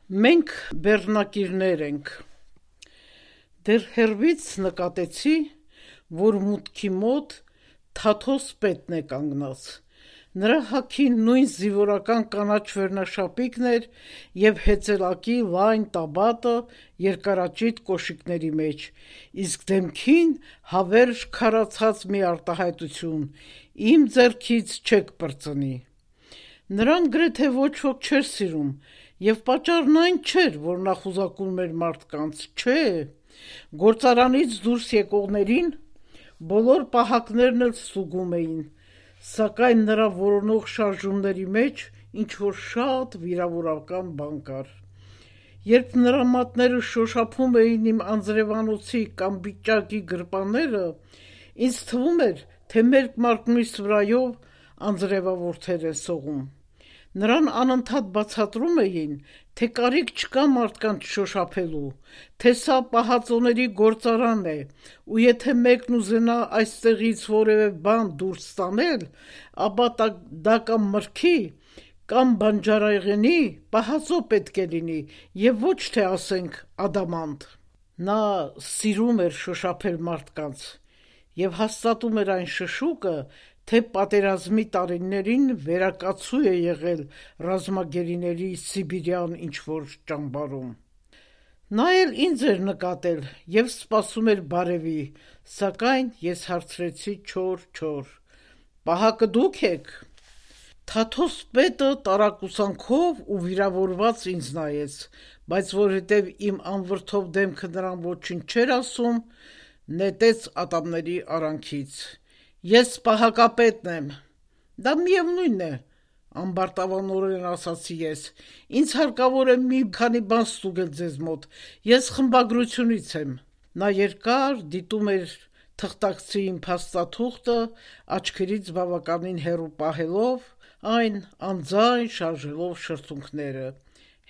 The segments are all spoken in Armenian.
Մենք բեռնակիրներ ենք: Դեռ հեռվից նկատեցի, որ մուտքի մոտ Թաթոս պետն է կանգնած: Նրա հագին նույն զինվորական կանաչ վերնաշապիկն էր և հեծելակի լայն տաբատը երկարաճիտ կոշիկների մեջ, իսկ դեմքին հավերժ քարացած մի արտահայտություն՝ իմ ձեռքից չեք պրծնի: Նրան գրեթե ոչ ոք չէր սիրում, և պատճառն այն չէր, որ նա խուզարկում էր մարդկանց, չէ, գործարանից դուրս եկողներին բոլոր պահակներն էլ ստուգում էին, սակայն նրա որոնող շարժումների մեջ ինչ-որ շատ վիրավորական բան կար: Երբ նրա մատները շոշափում էին իմ անձրևանոցի կամ պիճակի գրպանները, ինձ թվում էր, թե մերկ մարկմիս վրայով անձրևավորներ են սողում: Նրան անընդհատ բացատրում էին, թե կարիք չկա մարդկանց շոշափելու, թե սա պահածոների գործարան է, ու եթե մեկն ուզենա այստեղից որևէ բան դուրս տանել, ապա դա կամ մրգի, կամ բանջարեղենի պահածո պետք է լինի և ոչ թե ասենք ադամանդ: Նա սիրում էր շոշափել մարդկանց և հաստատում էր այն շշուկը, թե պատերազմի տարիներին վերակացու է եղել ռազմագերիների սիբիրյան ինչ-որ ճամբարում: Նա էլ ինձ էր նկատել և սպասում էր բարևի, սակայն ես հարցրեցի չոր: «Պահակը դուք ե՞ք»: Թաթոս պետը տարակուսանքով ու վիրավորված ինձ նայեց, բայց որովհետև իմ անվրդով դեմքը նրան ոչինչ չէր ասում, նետեց ատամների արանքից: «Ես պահակապետն եմ»: «Դա միևնույն է», ամբարտավանորեն ասացի ես, «ինձ հարկավոր է մի քանի բան ստուգել ձեզ մոտ, ես խմբագրությունից եմ»: Նա երկար դիտում էր թղթակցի իմ փաստաթուղթը, աչքերից բավականին հեռու պահելով այն, անձայն շարժելով շրթունքները: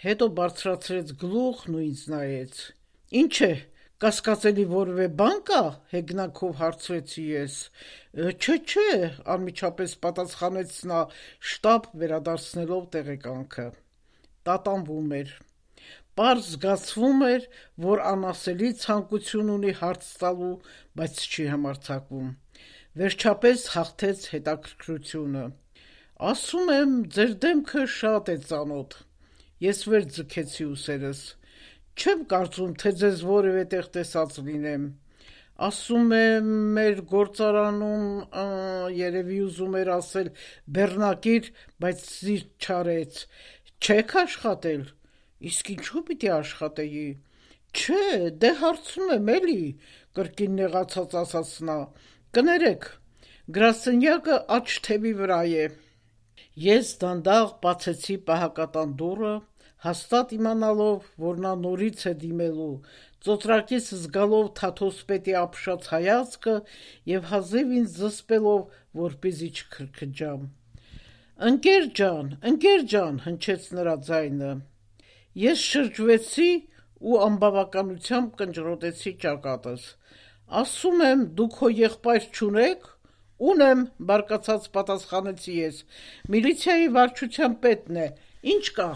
Հետո բարձրացրեց գլուխն ու ինձ նայեց: «Ինչ է, կասկածելի որևէ բան կա»: հեգնանքով հարցրեցի ես: «Չէ», անմիջապես պատասխանեց նա շտապ վերադարձնելով տեղեկանքը: Տատանվում էր: Պարզ զգացվում էր, որ անասելի ցանկություն ունի հարց տալու, բայց չի համարձակվում: Վերջապես հաղթեց հետաքրքրությունը: «Ասում եմ, ձեր դեմքը շատ է ծանոթ»: Ես վեր ձգեցի ուսերս: «Չեմ կարծում, թե ձեզ որևէ տեղ տեսած լինեմ»: «Ասում եմ, մեր գործարանում, երևի ուզում էր ասել բեռնակիր, բայց զիրք չարեց: Չե՞ք աշխատել»: «Իսկ ինչու պիտի աշխատեի»: «Չէ, դե հարցնում եմ էլի», կրկին նեղացած ասաց նա: «Կներեք, գրասենյակը աջ թևի վրա է»: Ես դանդաղ բացեցի պահակատան դուռը, հաստատ իմանալով, որ նա նորից է դիմելու, ծոծրակից զգալով Թաթոս պետի ապշած հայացքը և հազիվ ինձ զսպելով, որպեսզի չքրքջամ: «Ընկեր ջան», հնչեց նրա ձայնը: Ես շրջվեցի ու անբավականությամբ կնճռոտեցի ճակատս: «Ասում եմ, դուք հո եղբայր չունե՞ք»: «Ունեմ», բարկացած պատասխանեցի ես, «միլիցիայի վարչության պետն է, ինչ կա»: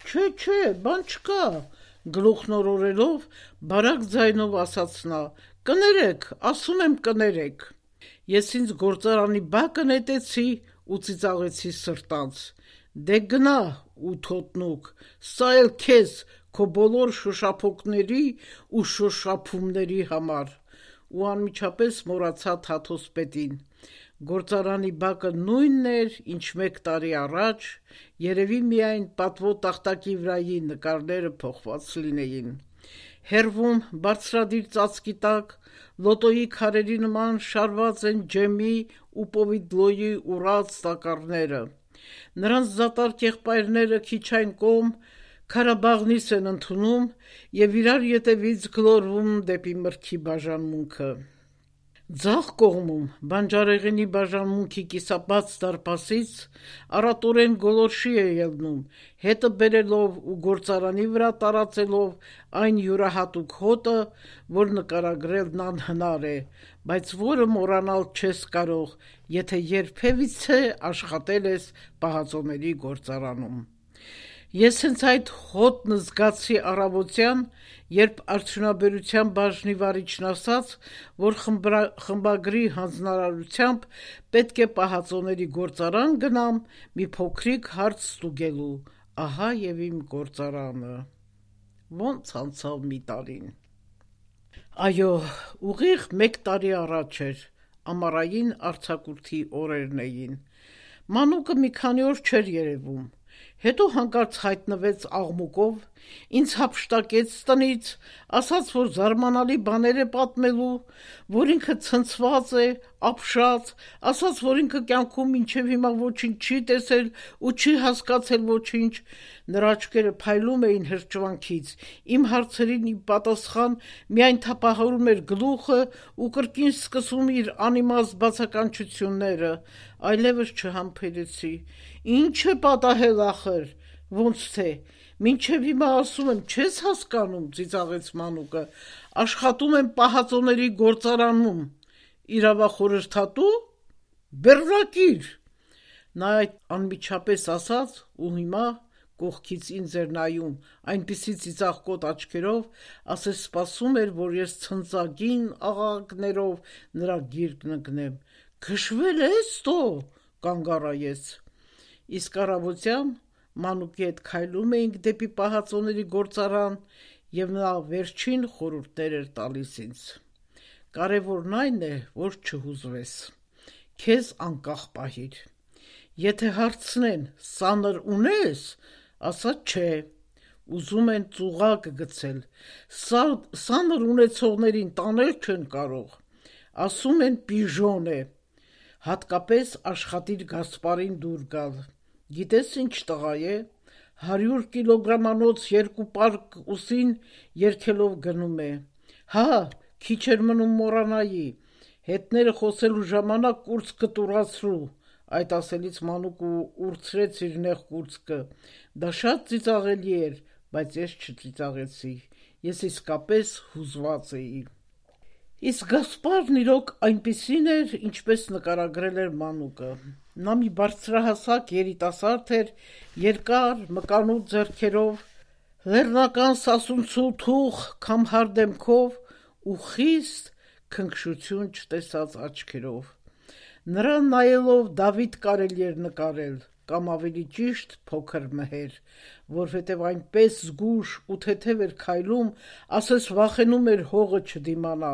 «Չէ, բան չկա», գլուխն օրորելով բարակ ձայնով ասաց նա: «Կներեք, ասում եմ, կներեք»: Ես ինձ գործարանի բակը նետեցի ու ծիծաղեցի սրտանց: «Դե գնա ու թոտնուկ, սա էլ քեզ քո բոլոր շոշափոկների ու շոշափումների համար»: Ու անմիջապես մոռացա Թաթոս պետին: Գործարանի բակը նույնն էր, ինչ մեկ տարի առաջ, երևի միայն պատվո տախտակի նկարները փոխված լինեին: Հեռվում բարձրադիր ծածկի տակ լոտոյի քարերի նման շարված են ջեմի ու պովիդլոյի ուռած տակառները: Նրանց դատարկ եղբայրները քիչ այն կողմ քարաբաղնից են ընդունում և իրար ետևից գլորվում դեպի մրգի բաժանմունքը: Ձախ կողմում, բանջարեղենի բաժանմունքի կիսաբաց դարպասից, առատորեն գոլորշի է ելնում, հետը բերելով ու գործարանի վրա տարածելով այն յուրահատուկ հոտը, որ նկարագրելն անհնար է, բայց որը մոռանալ չես կարող, եթե երբևիցե աշխատել ես պահածոների գործարանում: Ես հենց այդ հոտն զգացի առավոտյան, երբ արդյունաբերության բաժնի վարիչն ասաց, որ խմբագրի հանձնարարությամբ պետք է պահածոների գործարան գնամ մի փոքրիկ հարց ստուգելու, ահա եւ իմ գործարանը։ Ոնց անցավ մի տարին։ Այո, ուղիղ 1 տարի առաջ էր, ամառային արձակուրդի օրերն էին։ Մանուկը մի քանի օր չէր երևում, հետո հանկարծ հայտնվեց աղմուկով, ինձ հափշտակեց տնից, ասաց, որ զարմանալի բաներ է պատմելու, որ ինքը ցնցված է, ապշած, ասաց, որ ինքը կյանքում մինչև հիմա ոչինչ չի տեսել ու չի հասկացել ոչինչ, նրա աչքերը փայլում էին հրճվանքից, իմ հարցերին ի պատասխան միայն թափահարում էր գլուխը ու կրկին սկսում իր անիմաստ բացականչությունները, այլևս չհամբերեցի։ Ինչ է պատահել ախր, ոնց թե, մինչև հիմա ասում եմ, չես հասկանում, ծիծաղեց Մանուկը, աշխատում եմ պահածոների գործարանում, իրավախորհրդատու, բեռնակիր։ Նա այդ անմիջապես ասաց ու հիմա կողքից ինձ էր նայում, այնպիսի ծիծաղկոտ աչքերով, ասես սպասում էր, որ ես ցնծագին աղաղակներով նրա գիրկն ընկնեմ։ Քշվել ես տո, կանգ առա ես։ Իսկ առավոտյան Մանուկի հետ քայլում էինք դեպի պահածոների գործարան եւ նա վերջին խորհուրդներ էր տալիս ինձ։ Կարևորն այն է, որ չհուզվես, քեզ անկախ պահիր։ Եթե հարցնեն, սանր ունես, ասա չէ, ուզում են ծուղակ գցել, սանր ունեցողներին տանել չեն կարող, ասում են պիժոն է, հատկապես աշխատիր Գասպարին դուր գալ։ Գիտես ինչ տղա է, 100 կիլոգրամանոց 2 պարկ ուսին երկելով գնում է։ Հա, քիչ էր մնում մոռանայի, հետները խոսելու ժամանակ կուրծքը տուրացրու, այդ ասելից Մանուկը ուրցրեց իր նեղ կուրծքը, դա շատ ծիծաղելի էր, բայց ես չծիծաղեցի, ես իսկապես հուզված էի։ Իսկ Գասպարն իրոք այնպիսին էր, ինչպես նկարագրել էր Մանուկը։ Նա մի բարձրահասակ երիտասարդ էր, երկար, մկանուտ ձեռքերով, լեռնական սասունցու թուխ քամհար դեմքով ու խիստ քնքշություն չտեսած աչքերով։ Նրան նայելով Դավիթ կարելի էր նկարել, կամ ավելի ճիշտ փոքր Մհեր, որովհետև այնպես զգույշ ու թեթև էր քայլում, ասես վախենում էր հողը չդիմանա։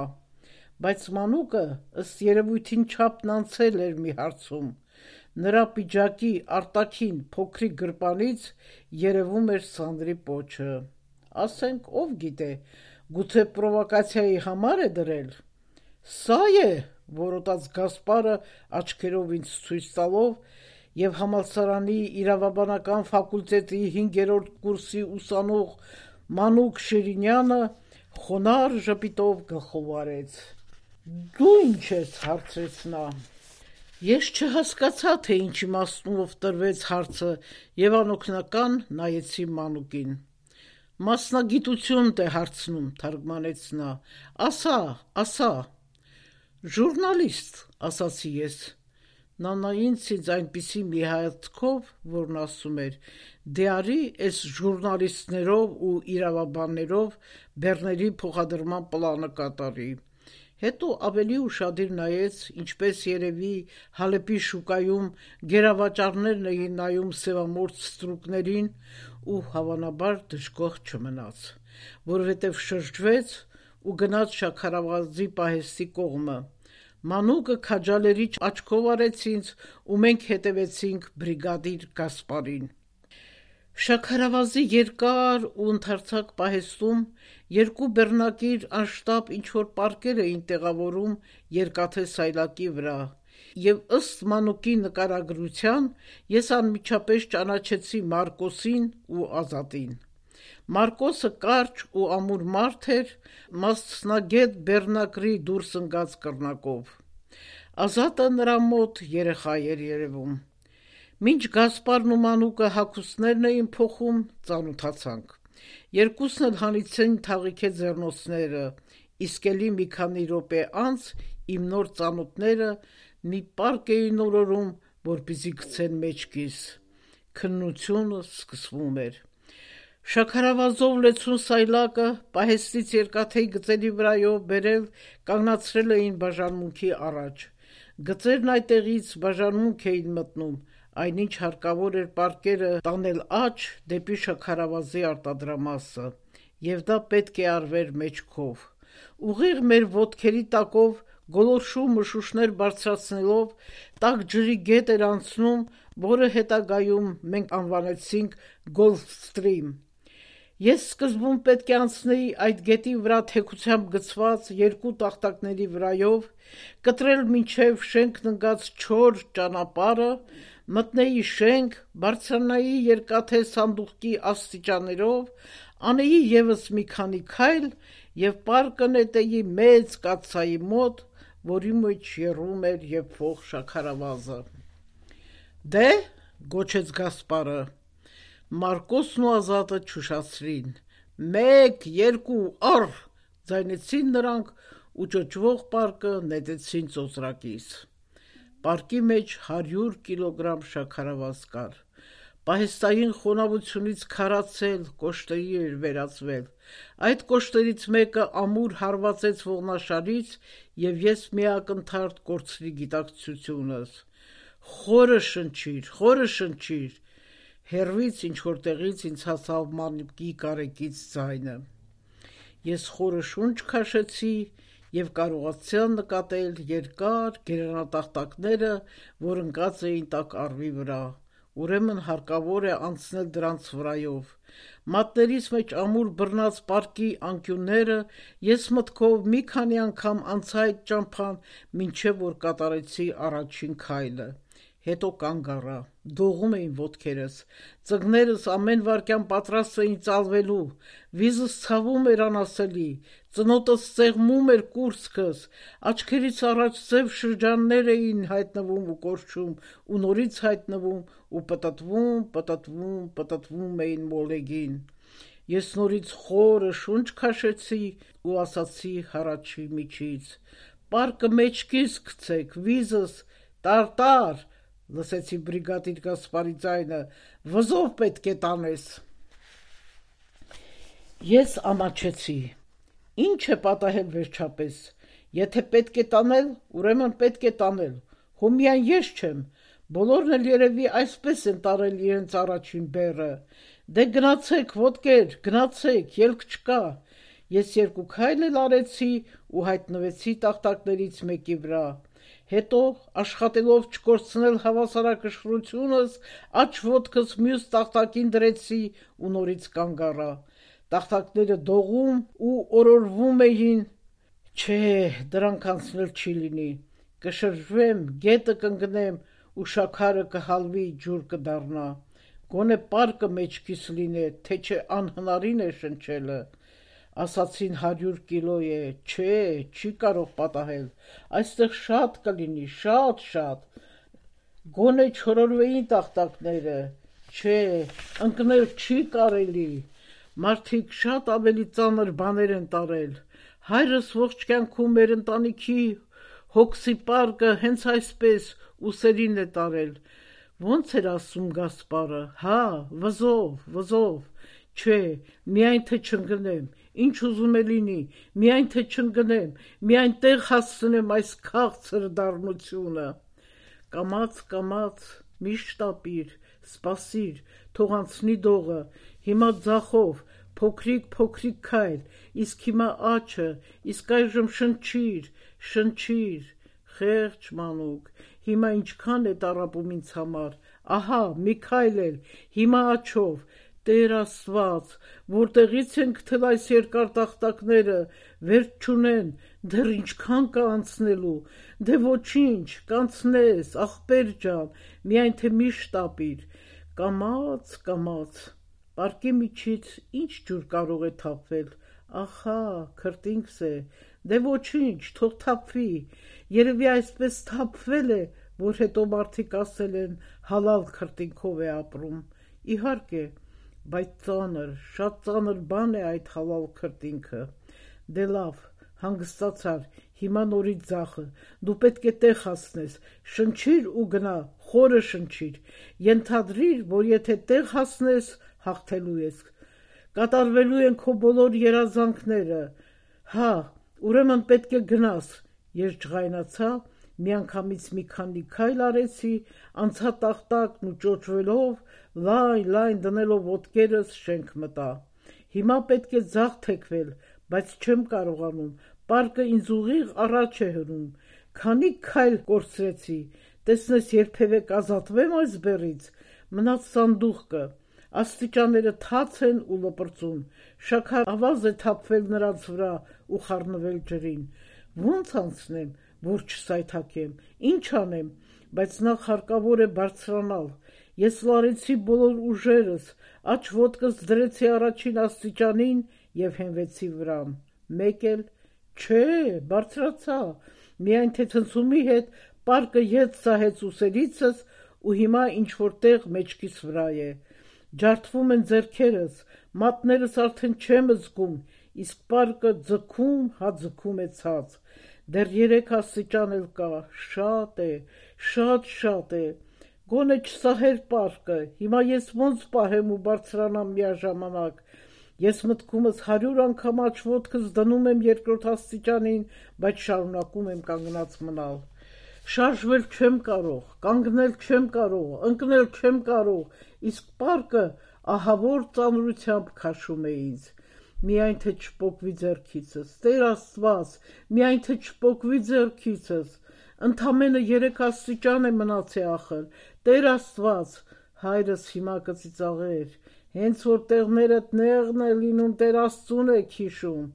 Բայց Մանուկը ըստ երևույթին չափն անցել էր մի հարցում, նրա պիջակի արտաքին փոքրիկ գրպանից երևում էր Սանդրի պոչը։ Ասենք, ով գիտե, գուցե պրովոկացիայի համար է դրել։ Սա է, որոտաց Գասպարը աչքերով ինձ ցույց տալով եւ համալսարանի իրավաբանական ֆակուլտետի 5-րդ կուրսի ուսանող Մանուկ Շիրինյանը խոնարհ ժպիտով գլխով արեց։ Դու ինչ ես, հարցրեց նա։ Ես չհասկացա, թե ինչ իմաստունով տրվեց հարցը եւ անօգնական նայեցի Մանուկին։ Մասնագիտություն է հարցնում, թարգմանեց նա։ Ասա։ Ժուրնալիստ, ասացի ես։ Նա նայեց ինձ այնպիսի մի հայացքով, որն ասում էր. դե արի էս ժուրնալիստներով ու իրավաբաններով բեռների փոխադրման պլանը կատարի։ Հետո ավելի ուշադիր նայեց, ինչպես երևի Հալեպի շուկայում գերավաճառներն էին նայում սևամորթ ստրուկներին ու հավանաբար դժգոհ չմնաց, որովհետև շրջվեց ու գնաց Շաքարավազի պահեստի կողմը։ Մանուկը քաջալերիչ աչքով արեց ինձ ու մենք հետևեցինք բրիգադիր Գասպարին։ Շաքարավազի երկար ու ընդարձակ պահեստում 2 բեռնակիր անշտապ ինչ-որ պարկեր էին տեղավորում երկաթե սայլակի վրա եւ ըստ Մանուկի նկարագրության ես անմիջապես ճանաչեցի Մարկոսին ու Ազատին։ Մարկոսը կարճ ու ամուր մարդ էր, մասնագետ բեռնակրի դուրս ընկած կռնակով։ Ազատը նրա մոտ երեխա էր երևում։ Մինչ Գասպարն ու Մանուկը հագուստներն էին փոխում, ծանոթացանք։ Երկուսն էլ հանեցին թաղիթե ձեռնոցները, իսկ էլի մի քանի րոպե անց իմ նոր ծանոթները մի պարկ էին օրորում, որպեսզի գցեն մեջքիս։ քննությունը սկսվում էր։ Շաքարավազով լեցուն սայլակը պահեստից երկաթեի գծերի վրայով բերել կանգնացրել էին բաժանմունքի առաջ։ Գծերն այդտեղից բաժանմունք էին մտնում, այնինչ հարկավոր էր պարկերը տանել աջ դեպի շաքարավազի արտադրամասը, եւ դա պետք է արվեր մեջքով։ Ուղիղ մեր ոտքերի տակով գոլորշու մշուշներ բարձրացնելով տաք ջրի գետ էր անցնում, որը հետագայում մենք անվանեցինք Gulfstream։ Ես սկզբում պետք է անցնեի այդ գետի վրա թեքությամբ գծված երկու տախտակների վրայով, կտրել մինչև շենքն ընկած չոր ճանապարհը, մտնեի շենք, բարձրանայի երկաթե սանդուղքի աստիճաններով, անեի եւս մի քանի քայլ եւ պարկը նետեի մեծ կաթսայի մոտ, որի մեջ եռում էր եւ փող շաքարավազը։ Դե, գոչեց Գասպարը։ Մարկոսն ու Ազատը չուշացրին։ 1, 2, առ, ձայնեցին նրանք ու ճոճվող պարկը նետեցին ծոծրակից։ Պարկի մեջ 100 կիլոգրամ շաքարավազ կար։ Պահեստային խոնավությունից քարացել, կոշտերի էր վերածվել։ Այդ կոշտերից մեկը ամուր հարվածեց ողնաշարից եւ ես միակնթարթ կորցրի գիտակցությունս։ Խորը շնչիր։ Հեռվից ինչ-որ տեղից ինձ հասավ մանուկի կարեկից ձայնը։ Ես խորը շունչ քաշեցի եւ կարողացա նկատել երկար գերանատախտակները, որ ընկած էին տաք առվի վրա։ Ուրեմն հարկավոր է անցնել դրանց վրայով։ Մատներիս մեջ ամուր բռնած պարկի անկյունները ես մտքով մի քանի անգամ անցա այդ ճամփան, մինչև որ կատարեցի առաջին քայլը։ Հետո կանգ առա, դողում էին ոտքերս, ծնկներս ամեն վայրկյան պատրաստ էին ծալվելու, վիզս ցավում էր անասելի, ծնոտս ծեղմում էր կուրծքս, աչքերից առաջ ձև շրջաններ էին հայտնվում ու կորչում, ու նորից հայտնվում ու պտտվում էին մոլեգին։ Ես նորից խորը շունչ քաշեցի ու ասացի հառաչի միջից. «Պարկը մեջքիս գցեք, վիզս, տար», լսեցի բրիգադիր Գասպարի ձայնը, «վզով պետք է տանես»։ Ես ամաչեցի. ինչ է պատահել վերջապես, եթե պետք է տանել, ուրեմն պետք է տանել, հո միայն ես չեմ, բոլորն էլ երևի այսպես են տարել իրենց առաջին բեռը, դե գնացեք ոտքեր, գնացեք, ելք չկա։ Ես 2 քայլ էլ արեցի ու հայտնվեցի տախտակներից մեկի վրա։ Հետո, աշխատելով չկորցնել հավասարակշռությունս, աջ ոտքս մյուս տախտակին դրեցի ու նորից կանգ առա։ Տախտակները դողում ու օրորվում էին։ Չէ, դրանք անցնել չի լինի։ Կշրջվեմ, գետը կընկնեմ ու շաքարը կհալվի, ջուր կդառնա։ Գոնե պարկը մեջքիս լինե, թե չէ անհնարին է շնչելը։ Ասացին 100 կիլո է, չէ, չի կարող պատահել, այստեղ շատ կլինի, շատ, գոնե չորորվեին տախտակները, չէ, ընկնել չի կարելի, մարդիկ շատ ավելի ծանր բաներ են տարել, հայրս ողջ կյանքում մեր ընտանիքի հոգսի պարկը հենց այսպես ուսերին է տարել, ոնց էր ասում Գասպարը, հա, վզով, չէ, միայն թե չընկնեմ, ինչ ուզում է լինի, միայն թե չընկնեմ, միայն տեղ հասցնեմ այս քաղցր դառնությունը։ Կամաց, մի շտապիր, սպասիր, թող անցնի դողը, հիմա ձախով, փոքրիկ քայլ, իսկ հիմա աչը, իսկ այժմ շնչիր, խեղճ մանուկ, հիմա ինչքան է տառապում ինձ համար, ահա, մի քայլ էլ, հիմա աչով, Տեր Աստված, որտեղից են գտել այս երկար տախտակները, վերջ չունեն, դեռ ինչքան կա անցնելու, դե ոչինչ, կանցնես, ախպեր ջան, միայն թե մի շտապիր, կամաց, պարկի միջից ինչ ջուր կարող է թափվել, ախա, քրտինքս է, դե ոչինչ, թող թափվի, երևի այսպես թափվել է, որ հետո մարդիկ ասել են հալալ քրտինքով է ապրում, իհարկե, բայց ծանր, շատ ծանր բան է այդ հալալ քրտինքը, դե լավ, հանգստացար, հիմա նորից ձախը, դու պետք է տեղ հասնես, շնչիր ու գնա, խորը շնչիր, ենթադրիր, որ եթե տեղ հասնես, հաղթելու ես, կատարվելու են քո բոլոր երազանքները, հա, ուրեմն պետք է գնաս, ես ջղայնացա, միանգամից մի քանի քայլ արեցի, անցա տախտակն ու ճոճվելով, լայն դնելով ոտքերս շենք մտա, հիմա պետք է ձախ թեքվել, բայց չեմ կարողանում, պարկը ինձ ուղիղ առաջ է հրում, քանի քայլ կորցրեցի, տեսնես երբևէ կազատվեմ այս բեռից, մնաց սանդուղքը, աստիճանները թաց են ու լպրծուն, շաքար ավազ է թափվել նրանց վրա ու խառնվել ջրին, ոնց անցնեմ, որ չսայթաքեմ, ինչ անեմ, բայց նախ հարկավոր է բարձրանալ, ես լարեցի բոլոր ուժերս, աջ ոտքս դրեցի առաջին աստիճանին և հենվեցի վրան, մեկ էլ, չէ, բարձրացա, միայն թե ցնցումի հետ պարկը ետ սահեց ուսերիցս ու հիմա ինչ-որ տեղ մեջքիս վրա է, ջարդվում են ձեռքերս, մատներս արդեն չեմ զգում, իսկ պարկը ձգում է ցած, դեռ 3 աստիճան էլ կա, շատ է, շատ է, գոնե չսահեր պարկը, հիմա ես ոնց պահեմ ու բարձրանամ միաժամանակ, ես մտքումս 100 անգամ աջ ոտքս դնում եմ երկրորդ աստիճանին, բայց շարունակում եմ կանգնած մնալ, շարժվել չեմ կարող, կանգնել չեմ կարող, ընկնել չեմ կարող, իսկ պարկը ահավոր ծանրությամբ քաշում է ինձ, միայն թե չպոկվի ձեռքիցս, Տեր Աստված, միայն թե չպոկվի ձեռքիցս, ընդամենը 3 աստիճան է մնացել ախր, Տեր Աստված, հայրս հիմա կծիծաղեր, հենց որ տեղներդ նեղն է լինում, Տեր Աստծուն եք հիշում,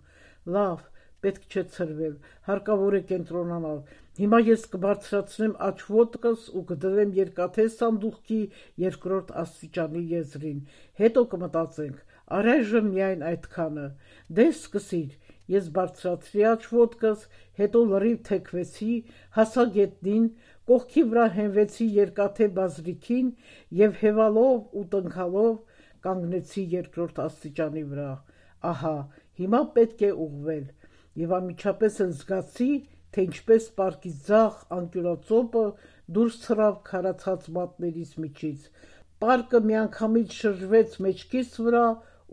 լավ, պետք չէ ցրվել, հարկավոր է կենտրոնանալ, հիմա ես կբարձրացնեմ աջ ոտքս ու կդրեմ երկաթե սանդուղքի երկրորդ աստիճանի եզրին, հետո կմտածենք, առայժմ միայն այդքանը, դե սկսիր, ես բարձրացրի աջ ոտքս, հետո լրիվ թեքվեցի, հասա գետնին, կողքի վրա հենվեցի երկաթե բազրիքին և հևալով ու տնքալով կանգնեցի երկրորդ աստիճանի վրա, ահա, հիմա պետք է ուղղվել, և անմիջապես էլ զգացի, թե ինչպես պարկի ձախ անկյունածոպը դուրս թռավ քարացած մատներիս միջից, պարկը միանգամից շրջվեց մեջքիս վրա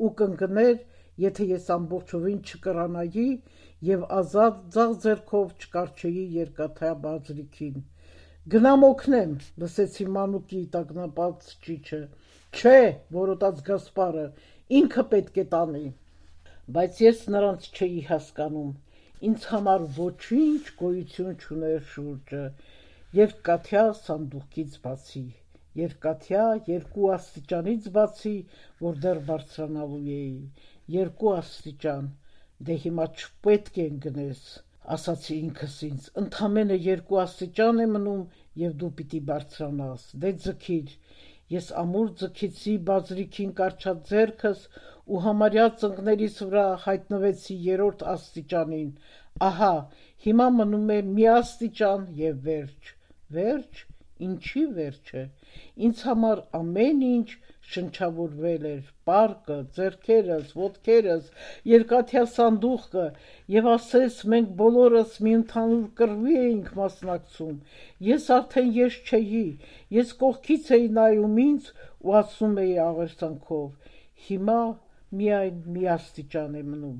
ու կընկներ, եթե ես ամբողջովին չկրանայի և ազատ ձախ ձեռքով չկառչեի երկաթե բազրիքին, գնամ օգնեմ, լսեցի մանուկի տագնապած ճիչը, չէ, որոտաց Գասպարը, ինքը պետք է տանի, բայց ես նրանց չէի հասկանում, ինձ համար ոչինչ գոյություն չուներ շուրջը, երկաթյա սանդուղքից բացի, երկաթյա 2 աստիճանից բացի, որ դեռ բարձրանալու էի, 2 աստիճան, դե հիմա չպետք է ընկնես, ասացի ինքս ինձ, ընդամենը 2 աստիճան է մնում և դու պիտի բարձրանաս, դե ձգիր, ես ամուր ձգեցի բազրիքին կառչած ձեռքս ու համարյա ծնկներիս վրա հայտնվեցի 3-րդ աստիճանին, ահա, հիմա մնում է մի աստիճան և վերջ, ինչի վերջը, ինձ համար ամեն ինչ շնչավորվել էր, պարկը, ձեռքերս, ոտքերս, երկաթյա սանդուղքը և ասես մենք բոլորս մի ընդհանուր կռվի էինք մասնակցում, ես արդեն ես չէի, ես կողքից էի նայում ինձ ու ասում էի աղերսանքով, հիմա միայն մի աստիճան է մնում,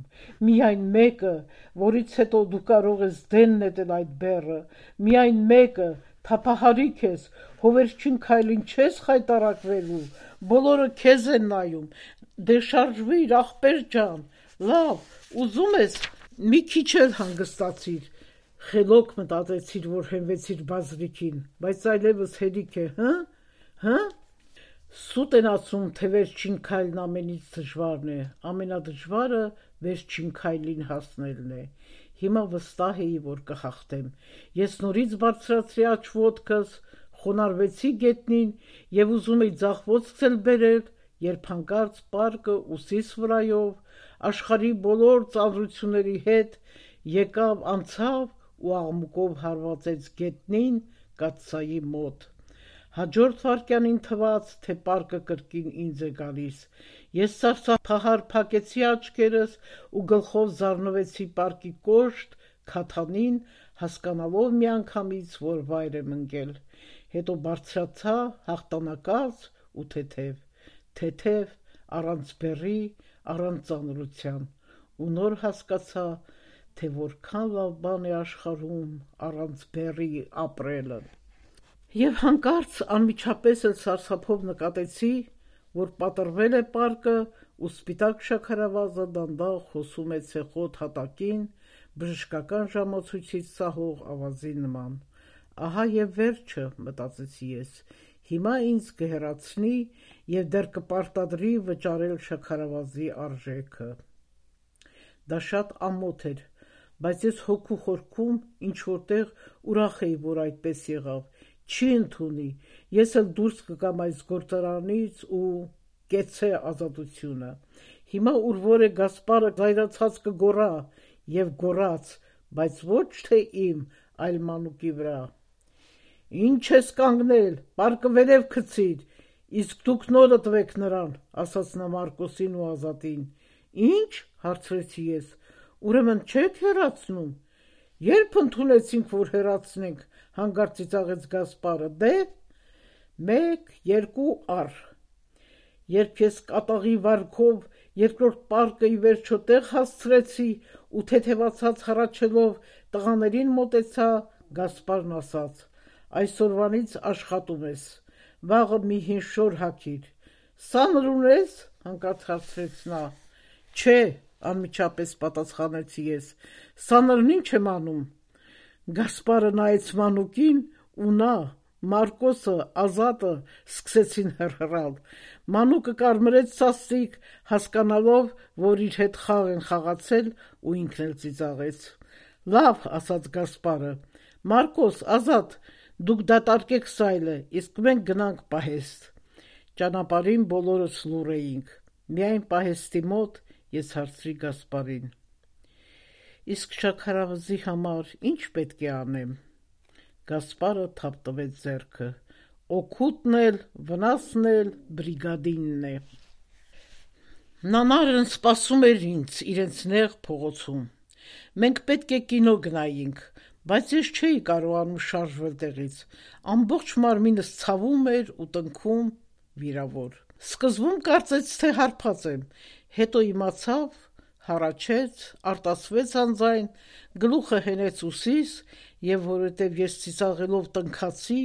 միայն մեկը, որից հետո դու կարող ես դեն նետել այդ բեռը, միայն մեկը, թափահարիք ես, հովերչին քայլին չես խայտառակվելու, բոլորը քեզ են նայում, դե շարժվիր ախպեր ջան, լավ, ուզում ես, մի քիչ էլ հանգստացիր, խելոք մտածեցիր, որ հենվեցիր բազրիքին, բայց այլևս հերիք է, հը, Սուտ են ասում, թե վերջին քայլն ամենից դժվարն է, ամենադժվարը վերջին քայլին հասնելն է, հիմա վստահ էի, որ կհաղթեմ, ես նորից բարձրացրի աջ ոտքս, խոնարհվեցի գետնին և ուզում էի ձախ ոտքս էլ բերել, երբ հանկարծ պարկը ուսիս վրայով, աշխարհի բոլոր ծանրությունների հետ եկավ անցավ ու աղմուկով հարվածեց գետնին կաթսայի մոտ, Հաջորդ վարքյանին թվաց, թե պարկը կրկին ինձ է գալիս։ Ես սարսափահար փակեցի աչքերս ու գլխով զարնվեցի պարկի կոշտ քաթանին, հասկանալով միանգամից, որ վայր եմ ընկել։ Հետո բարձրացա հաղթանակած ու թեթև, առանց բեռի, առանց ծանրության, ու նոր հասկացա, թե որքան լավ բան է աշխարհում առանց բեռի ապրելը։ Եվ հանկարծ անմիջապես էլ սարսափով նկատեցի, որ պատռվել է պարկը ու սպիտակ շաքարավազը դանդաղ հոսում է ցեխոտ հատակին, բժշկական ժամացույցից սահող ավազի նման։ Ահա եւ վերջը, մտածեցի ես, հիմա ինձ կհեռացնի եւ դեռ կպարտադրի վճարել շաքարավազի արժեքը։ Դա շատ ամոթ էր, բայց ես հոգու խորքում ինչ-որտեղ ուրախ էի, որ այդպես եղավ, չի ընդունի, ես էլ դուրս կգամ այս գործարանից ու կեցցե ազատությունը։ Հիմա ուր որ է Գասպարը զայրացած կգոռա եւ գոռաց, բայց ոչ թե իմ, այլ մանուկի վրա։ Ինչ ես կանգնել, պարկը վերև գցիր, իսկ դուք նորը տվեք նրան, ասաց նա Մարկոսին ու Ազատին։ Ինչ, հարցրեցի ես, ուրեմն չեք հեռացնում։ Երբ ընդունեցինք, որ հեռացնենք, հանգարց ծիծաղեց Գասպարը, դե 1, 2 առ։ Երբ ես կատաղի վարքով երկրորդ պարկը ի վերջո տեղ հասցրեցի ու թեթևացած հառաչելով տղաներին մոտեցա, Գասպարն ասաց. այսօրվանից աշխատում ես, վաղը մի հին շոր հագիր։ Սանր ունես, հանկարծ հարցրեց նա։ Չէ, անմիջապես պատասխանեցի ես, սանրն ինչ եմ անում։ Գասպարը նայեց մանուկին ու նա, Մարկոսը, Ազատը սկսեցին հռհռալ։ Մանուկը կարմրեց սաստիկ, հասկանալով, որ իր հետ խաղ են խաղացել, ու ինքն էլ ծիծաղեց։ Լավ, ասաց Գասպարը, Մարկոս, Ազատ, դուք դատարկեք սայլը, իսկ մենք գնանք պահեստ։ Ճանապարհին բոլորս լուռ էինք։ Միայն պահեստի մոտ ես հարցրի Գասպարին. Իսկ շաքարավազի համար ինչ պետք է անեմ։ Գասպարը թափտվեց ձեռքը. օգուտն էլ, վնասն էլ բրիգադինն է։ Նանարն սպասում էր ինձ իրենց նեղ փողոցում։ Մենք պետք է կինո գնայինք, բայց ես չէի կարողանում շարժվել տեղից։ Ամբողջ մարմինս ցավում էր ու տնքում վիրավոր։ Սկզբում կարծեց, թե հարբած եմ, հետո իմացավ, հառաչեց, արտասվեց անձայն, գլուխը հենեց ուսիս եւ որովհետեւ ես ծիծաղելով տնքացի,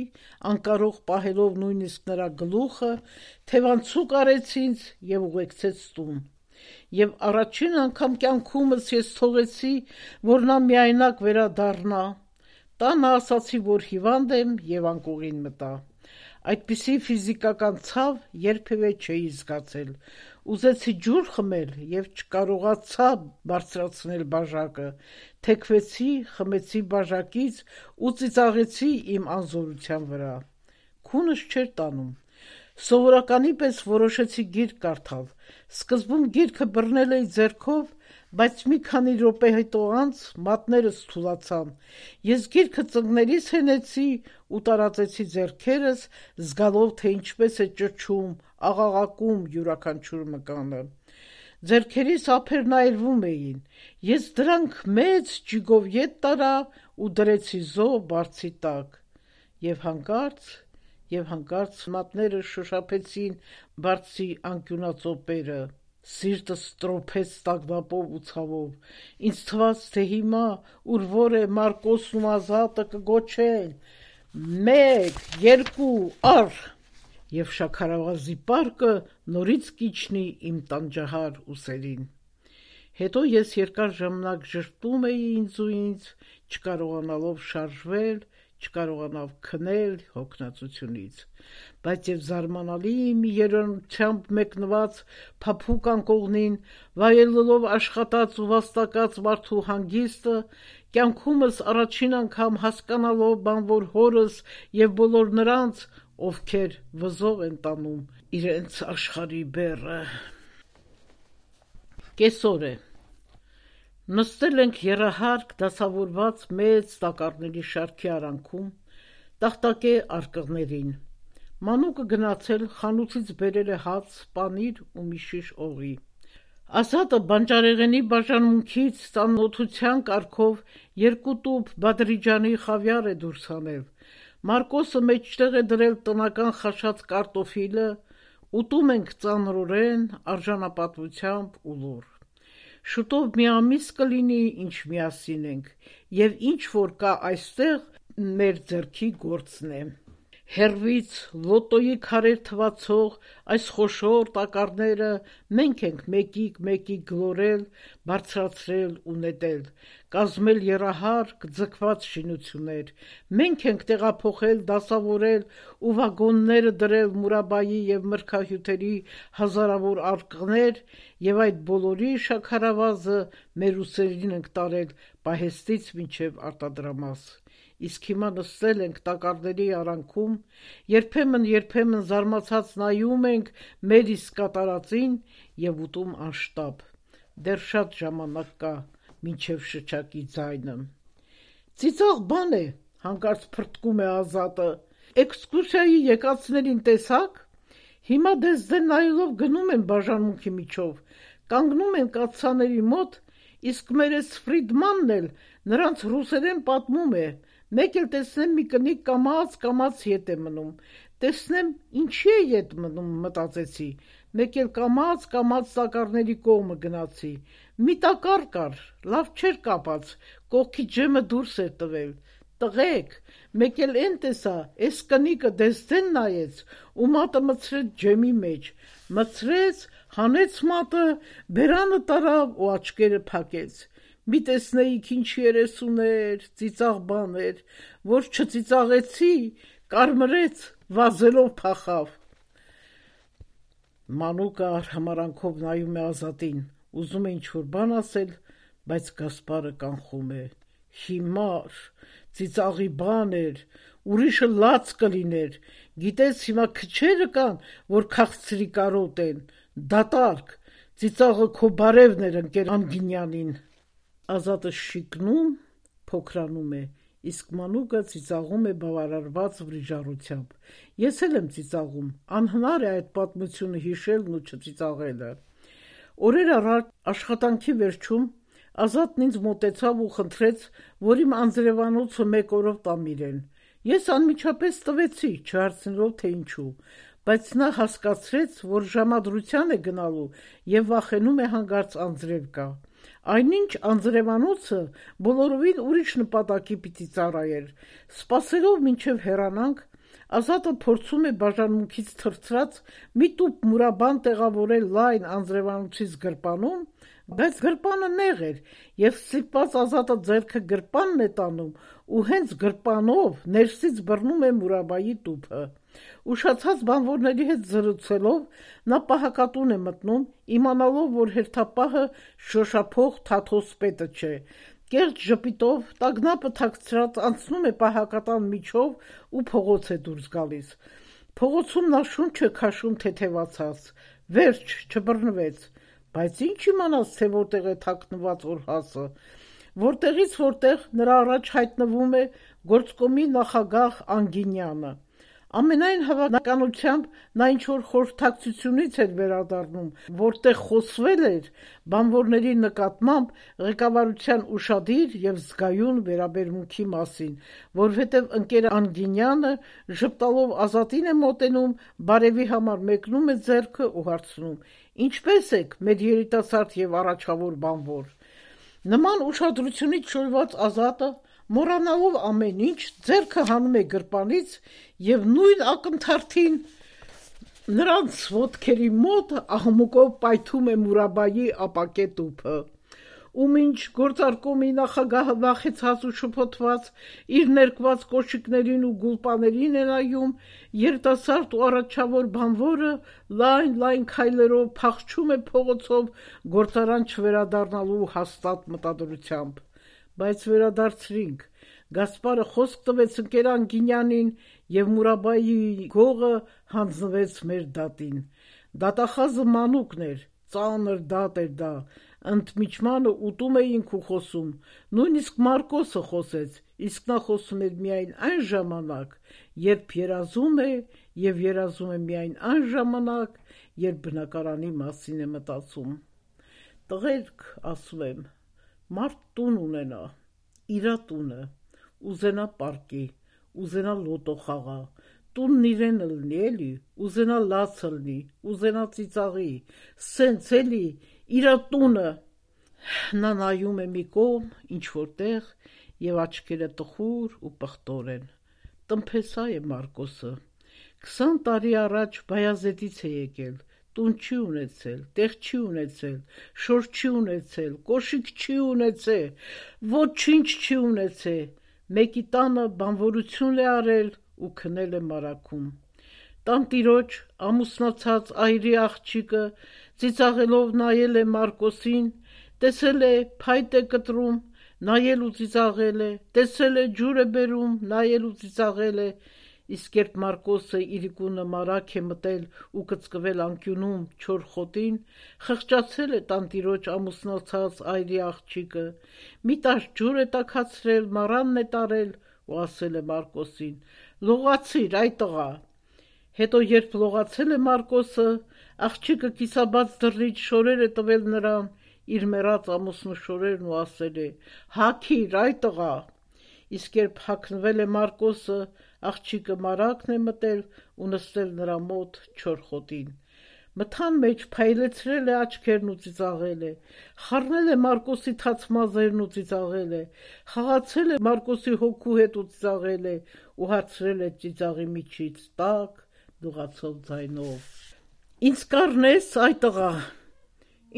անկարող պահելով նույնիսկ նրա գլուխը, թևանցուկ արեց ինձ եւ ուղեկցեց տուն։ Եվ առաջին անգամ կյանքումս ես թողեցի, որ նա միայնակ վերադառնա։ Տանը ասացի, որ հիվանդ եմ եւ անկողին մտա։ Այդպիսի ֆիզիկական ցավ երբևէ չէի զգացել։ Ուզեցի ջուր խմել եւ չկարողացա բարձրացնել բաժակը։ Թեքվեցի, խմեցի բաժակից ու ծիծաղեցի իմ անզորության վրա։ Քունս չէր տանում։ Սովորականի պես որոշեցի գիրք կարդալ։ Սկզբում գիրքը բռնել էի ձեռքով, բայց մի քանի րոպե հետո անց մատներս թուլացան։ Ես գիրքը ծնկներիս հենեցի ու տարածեցի ձեռքերս, զգալով, թե ինչպես է ճչում, աղաղակում յուրաքանչյուր մկանը։ Ձեռքերիս ափերն այրվում էին։ Ես դրանք մեծ ջիգով ետ տարա ու դրեցի զոհ բարձի տակ։ Եվ հանկարծ մատները շոշափեցին բարձի անկյունածոպերը։ Սիրտս տրոփեց տագնապով ու ցավով։ Ինձ թվաց, թե հիմա ուր որ է Մարկոսն ու Ազատը կգոչեն. 1, 2 առ, եւ շաքարավազի պարկը նորից կիջնի իմ տանջահար ուսերին։ Հետո ես երկար ժամանակ ժպտում էի ինձ, չկարողանալով շարժվել, չկարողանալ քնել հոգնածությունից, բայց եւ զարմանալի մի երերությամբ մեկնված փափուկ անկողնին, վայելելով աշխատած ու վաստակած մարդու հանգիստը, կյանքումս առաջին անգամ հասկանալով բանվոր հորս եւ բոլոր նրանց, ովքեր վզող են տանում իրենց աշխարհի բեռը։ Կեսօր է։ Նստել ենք եռահարկ դասավորված մեծ տակառների շարքի արանքում, տախտակե արկղներին։ Մանուկը գնացել խանութից բերել է հաց, պանիր ու մի շիշ օղի։ Ազատը բանջարեղենի բաժանմունքից ծանոթության կարգով 2 տուփ Բադրիջանի խավիար է դուրս հանել։ Մարկոսը մեջտեղ է դրել տնական խաշած կարտոֆիլը, ուտում ենք ծանրորեն, արժանապատվությամբ ու լուռ։ Շուտով մի ամիս կլինի, ինչ միասին ենք, եւ ինչ որ կա այստեղ մեր ձեռքի գործն է։ Հեռվից լոտոյի քարեր թվացող այս խոշոր տակառները մենք ենք մեկիկ գլորել, բարձրացրել ու նետել, կազմել եռահարկ ձգված շինություններ, մենք ենք տեղափոխել, դասավորել ու վագոնները դրել Մուրաբայի եւ մրգահյութերի հազարավոր արկղներ եւ այդ բոլորի շաքարավազը մեր ուսերին ենք տարել պահեստից մինչեւ արտադրամաս։ Իսկ հիմա նստել ենք տակառների արանքում, երբեմն զարմացած նայում ենք մեր իսկ կատարածին եւ ուտում անշտապ։ Դեռ շատ ժամանակ կա, մինչեւ շչակի ձայնը։ Ծիծաղ բան է, հանկարծ փրկում է Ազատը։ Էքսկուրսիայի եկածներին տեսակ։ Հիմա դες դեն նայելով գնում են բաժանմունքի միջով, կանգնում են կաթսաների մոտ, իսկ մեր էս Ֆրիդմանն էլ նրանց ռուսերեն պատմում է։ Մեկ էլ տեսնեմ մի կնիկ կամաց ետ է մնում, տեսնեմ ինչի է ետ մնում, մտածեցի, մեկ էլ կամաց տակառների կողմը գնացի, մի տակառ կար, լավ չէր կապած, կողքի ջեմը դուրս էր տվել, տղեկ, մեկ էլ են տեսա, էս կնիկը դες դեն նայեց ու մատը մցրեց ջեմի մեջ, մցրեց, հանեց մատը, բերանը տարավ ու աչքերը փակեց։ Մի տեսնեիք ինչ երես ուներ, ծիծաղ բան էր, որ չծիծաղեցի, կարմրեց, վազելով փախավ։ Մանուկը արհամարանքով նայում է Ազատին, ուզում է ինչ-որ բան ասել, բայց Գասպարը կանխում է։ Հիմար, ծիծաղի բան էր, ուրիշը լաց կլիներ, գիտես հիմա քչերը կան, որ քաղցրի կարոտ են, դատարկ, ծիծաղը քո բարևն էր ընկեր Անգինյանին։ Ազատը շիկնում, փոքրանում է, իսկ Մանուկը ծիծաղում է բավարարված վրիժառությամբ։ Ես էլ եմ ծիծաղում, անհնար է այդ պատմությունը հիշելն ու չծիծաղելը։ Օրեր առաջ աշխատանքի վերջում Ազատն ինձ մոտեցավ ու խնդրեց, որ իմ անձրևանոցը 1 օրով տամ իրեն։ Ես անմիջապես տվեցի, չհարցնելով թե ինչու, բայց նա հասկացրեց, որ ժամադրության է գնալու եւ վախենում է հանգարց անձրև գա։ Այնինչ անձրևանոցը բոլորովին ուրիշ նպատակի պիտի ծառայեր։ Սպասելով մինչև հեռանանք, Ազատը փորձում է բաժանմունքից թրծրած մի տուփ մուրաբան տեղավորել լայն անձրևանոցից գրպանում, բայց գրպանը նեղ էր եւ ստիպված Ազատը ձեռքը գրպանն է տանում ու հենց գրպանով ներսից բռնում է Մուրաբայի տուփը։ Ուշացած բանվորների հետ զրուցելով նա պահակատուն է մտնում, իմանալով, որ հերթապահը շոշափող Թաթոս պետը չէ։ Կեղծ ժպիտով տագնապը թաքցրած անցնում է պահակատան միջով ու փողոց է դուրս գալիս։ Փողոցում նա շունչ է քաշում թեթևացած, վերջ չբռնվեց, բայց ինչ իմանաս, թե որտեղ է թաքնված օրհասը, որտեղից որտեղ նրա առաջ հայտնվում է գործկոմի նախագահ Անգինյանը։ Ամենայն հավանականությամբ նա ինչ-որ խորհրդակցությունից էր վերադառնում, որտեղ խոսվել էր բանվորների նկատմամբ ղեկավարության ուշադիր եւ զգայուն վերաբերմունքի մասին, որովհետեւ ընկեր Անգինյանը ժպտալով Ազատին է մոտենում, բարևի համար մեկնում է ձեռքը ու հարցնում. «Ինչպե՞ս եք, մեր երիտասարդ եւ առաջավոր բանվոր»։ Նման ուշադրությունից շոյված Ազատը, մոռանալով ամեն ինչ, ձեռքը հանում է գրպանից եւ նույն ակնթարթին նրանց ոտքերի մոտ աղմուկով պայթում է Մուրաբայի ապակե տուփը։ Ու մինչ գործարկոմի նախագահը վախեցած ու շփոթված իր ներկված կոշիկներին ու գուլպաներին է նայում, երիտասարդ ու առաջավոր բանվորը լայն քայլերով փախչում է փողոցով գործարան չվերադառնալու հաստատ մտադրությամբ։ Բայց վերադարձրինք, Գասպարը խոսք տվեց ընկեր Անգինյանին եւ Մուրաբայի գողը հանձնվեց մեր դատին։ Դատախազը Մանուկն էր, ծանր դատ էր դա, ընդմիջմանը ուտում էինք ու խոսում, նույնիսկ Մարկոսը խոսեց, իսկ նա խոսում էր միայն այն ժամանակ, երբ երազում է և երազում է միայն այն ժամանակ, երբ բնակարանի մասին է մտածում։ Տղերք, ասում եմ, մարդ տուն ունենա, իրա տունը, ուզենա պարկի, ուզենա լոտո խաղա, տունն իրենը լինի, էլի, ուզենա լացը լինի, ուզենա ծիծաղի, սենց էլի, իրա տունը։ Նա նայում է մի կողմ, ինչ-որ տեղ, և աչքերը տխուր ու պղտոր են։ Տնփեսա է Մարկոսը։ 20 տարի առաջ Բայազետից է եկել, տուն չի ունեցել, տեղ չի ունեցել, շոր չի ունեցել, կոշիկ չի ունեցել, ոչինչ չի ունեցել, մեկի տանը բանվորություն է արել ու քնել է մարաքում։ Տանտիրոջ ամուսնացած այրի աղջիկը ծիծաղելով նայել է Մարկոսին, տեսել է փայտ է կտրում, նայել ու ծիծաղել է, տեսել է ջուր է բերում, նայել ու ծիծաղել է, իսկ երբ Մարկոսը իրիկունը մարակ է մտել ու կծկվել անկյունում չոր խոտին, խղճացել է տանտիրոջ ամուսնացած այրի աղջիկը, մի տաշ ջուր է տաքացրել, մառանն է տարել ու ասել է Մարկոսին. «Լողացիր, այ տղա»։ Հետո երբ լողացել է Մարկոսը, աղջիկը կիսաբաց դռնից շորեր է տվել նրան, իր մեռած ամուսնու շորերն ու ասել է. «Հագիր, այ տղա»։ Իսկ երբ հագնվել է Մարկոսը, աղջիկը մարակն է մտել ու նստել նրա մոտ չոր խոտին։ Մթան մեջ փայլեցրել է աչքերն ու ծիծաղել է, խառնել է Մարկոսի թաց մազերն ու ծիծաղել է, խաղացել է Մարկոսի հոգու հետ ու ծիծաղել է ու հարցրել է ծիծաղի միջից տաք, դողացող ձայնով. «Ինձ կառնես, այ տղա»։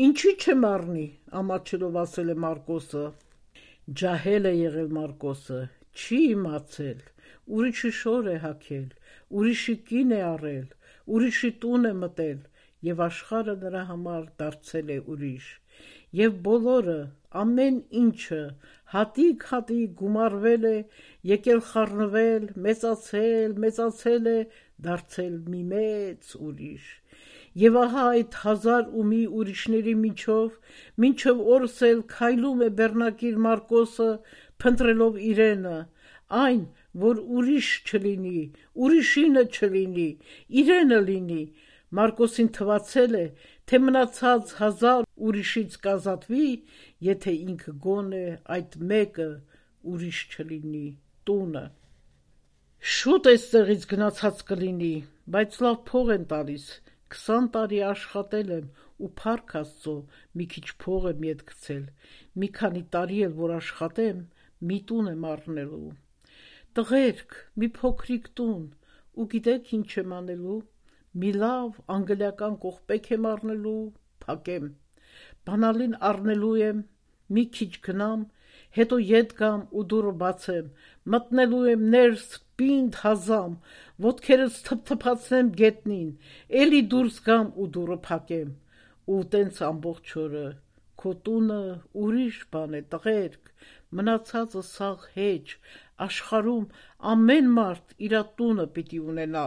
«Ինչի չեմ առնի», ամաչելով ասել է Մարկոսը։ Ջահել է եղել Մարկոսը, չի իմացել, ուրիշի շոր է հագել, ուրիշի կին է առել, ուրիշի տուն է մտել, և աշխարհը նրա համար դարձել է ուրիշ, և բոլորը, ամեն ինչը հատիկ-հատիկ գումարվել է, եկել խառնվել, մեծացել է, դարձել մի մեծ ուրիշ։ Եվ ահա այդ 1001 ուրիշների մինչև օրս էլ քայլում է բեռնակիր Մարկոսը, փնտրելով իրենը, այն, որ ուրիշ չլինի, ուրիշինը չլինի, իրենը լինի։ Մարկոսին թվացել է, թե մնացած 1000 ուրիշից կազատվի, եթե ինքը գոնե այդ մեկը ուրիշ չլինի, տունը։ Շուտ էստեղից գնացած կլինի, բայց լավ փող են տալիս, 20 տարի աշխատել եմ ու փառք Աստծո մի քիչ փող եմ ետ գցել, մի քանի տարի էլ որ աշխատեմ, մի տուն եմ առնելու։ Տղերք, մի փոքրիկ տուն, ու գիտեք ինչ եմ անելու, մի լավ անգլիական կողպեկ եմ առնելու, փակեմ, բանալին առնելու եմ, մի քիչ գնամ, հետո ետ գամ ու դուռը բացեմ, մտնելու եմ ներս պինդ հազամ, ոտքերս թփթփացնեմ գետնին, էլի դուրս գամ ու դուռը փակեմ, ու տենց ամբողջ օրը։ Քո տունը ուրիշ բան է, տղերք, մնացածը սաղ հեչ, աշխարհում ամեն մարդ իրա տունը պիտի ունենա։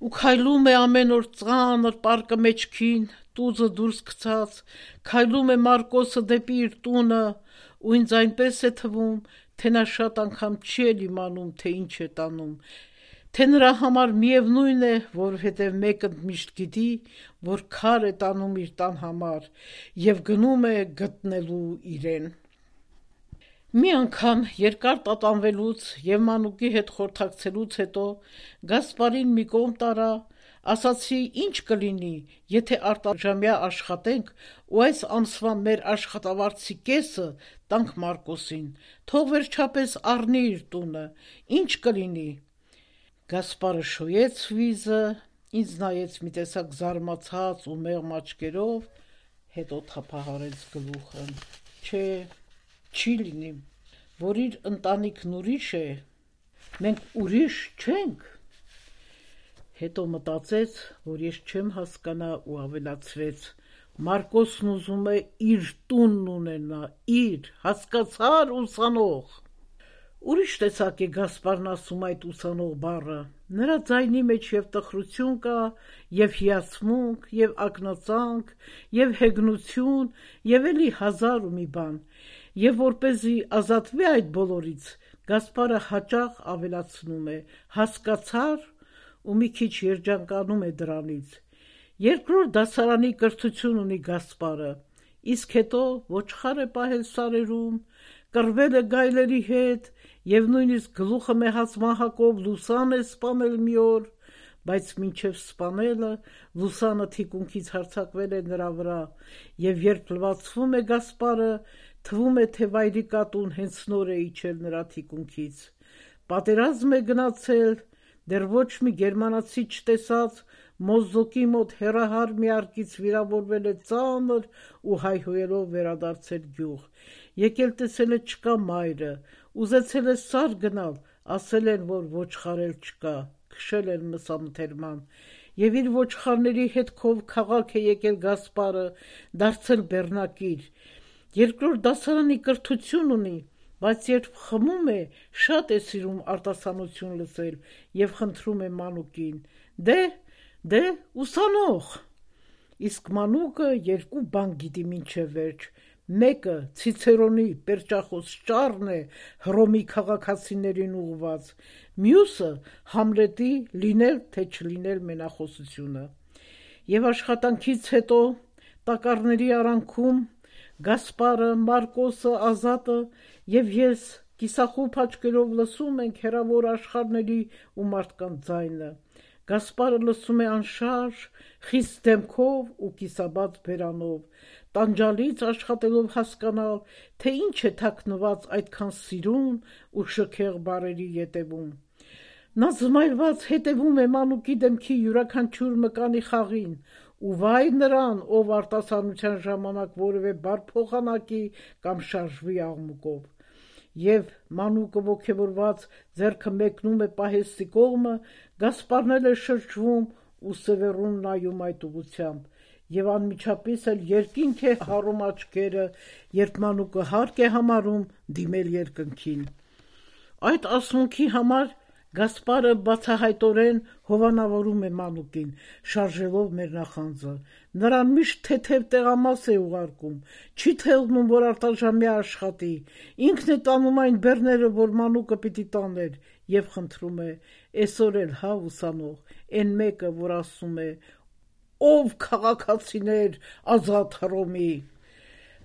Ու քայլում է ամեն օր ծանր պարկը մեջքին, տուզը դուրս գցած, քայլում է Մարկոսը դեպի իր տունը, ու ինձ այնպես է թվում, թե նա շատ անգամ չի էլ իմանում, թե ինչ է տանում, թե նրա համար միևնույն է, որովհետև մեկը միշտ գիտի, որ քար է տանում իր տան համար, և գնում է գտնելու իրեն։ Մի անգամ երկար տատանվելուց և մանուկի հետ խորհրդակցելուց հետո Գասպարին մի կողմ տարա, ասացի ինչ կլինի, եթե արտաժամյա աշխատենք ու այս ամսվա մեր աշխատավարձի կեսը տանք Մարկոսին, թող վերջապես առնի իր տունը, ինչ կլինի։ Գասպարը շոյեց վիզը, ինձ նայեց մի տեսակ զարմացած ու մեղմ աչքերով, հետո թափահարեց գլուխը։ Չէ, չի լինի, որ իր ընտանիքն ուրիշ է, մենք ուրիշ չենք։ Հետո մտածեց, որ ես չեմ հասկանա ու ավելացրեց. Մարկոսն ուզում է իր տունն ունենա, իր, հասկացար ուսանող։ Ուրիշ տեսակ է Գասպարն ասում այդ ուսանող բառը, նրա ձայնի մեջ և տխրություն կա, և հիացմունք, և ակնածանք, և հեգնություն, և էլի 1000 ու մի բան, և որպեսզի ազատվի այդ բոլորից, Գասպարը հաճախ ավելացնում է. հասկացար, ու մի քիչ երջանկանում է դրանից։ Երկրորդ դասարանի կրթություն ունի Գասպարը, իսկ հետո ոչխար է պահել սարերում, կռվել է գայլերի հետ եւ նույնիսկ գլուխը մեհած մահակով Լուսան է սպանել մի օր, բայց մինչև սպանելը Լուսանը թիկունքից հարձակվել է նրա վրա, եւ երբ լվացվում է Գասպարը, թվում է, թե վայրի կատուն հենց նոր է իջել նրա թիկունքից։ Պատերազմ է գնացել, դեռ ոչ մի գերմանացի չտեսած, Մոզոկի մոտ հեռահար մի արկից վիրավորվել է ծանր ու հայհոյելով վերադարձել գյուղ։ Եկել տեսել է չկա մայրը, ուզեցել է սար գնալ, ասել են, որ ոչխարել չկա, քշել են մսամթերման, եւ իր ոչխարների հետքով քաղաք է եկել Գասպարը, դարձել բեռնակիր։ Երկրորդ դասարանի կրթություն ունի, բայց երբ խմում է, շատ է սիրում արտասանություն լսել եւ խնդրում է Մանուկին. Դե, ուսանող։ Իսկ Մանուկը երկու բան գիտի մինչև վերջ. մեկը Ցիցերոնի պերճախոս ճառն է Հռոմի քաղաքացիներին ուղված, մյուսը Համլետի լինել թե չլինել մենախոսությունը։ Եվ աշխատանքից հետո տակառների արանքում Գասպարը, Մարկոսը, Ազատը եւ ես կիսախուփ աչքերով լսում ենք հեռավոր աշխարհների ու մարդկանց ձայնը։ Գասպարը լսում է անշարժ, խիստ դեմքով ու կիսաբաց բերանով, տանջալից աշխատելով հասկանալ, թե ինչ է թաքնված այդքան սիրուն ու շքեղ բառերի ետևում։ Նա զմայլված հետևում է Մանուկի դեմքի յուրաքանչյուր մկանի խաղին, ու վայ նրան, ով արտասանության ժամանակ որևէ բառ փոխանակի կամ շարժվի աղմուկով։ Եվ Մանուկը ոգևորված ձեռքը մեկնում է պահեստի կողմը, Գասպարն էլ է շրջվում ու Սևեռուն նայում այդ ուղղությամբ, եւ անմիջապես էլ երկինք է հառում աչքերը, երբ Մանուկը հարկ է համարում դիմել երկնքին։ Այդ ասմունքի համար Գասպարը բացահայտորեն հովանավորում է Մանուկին, շարժելով մեր նախանձը։ Նրան միշտ թեթև տեղամաս է ուղարկում, չի թողնում, որ արտաժամյա աշխատի, ինքն է տանում այն բեռները, որ Մանուկը պիտի տաներ, եւ խնդրում է. «Էսօր էլ հա ուսանող, էն մեկը, որ ասում է. ով քաղաքացիներ ազատ Հռոմի»։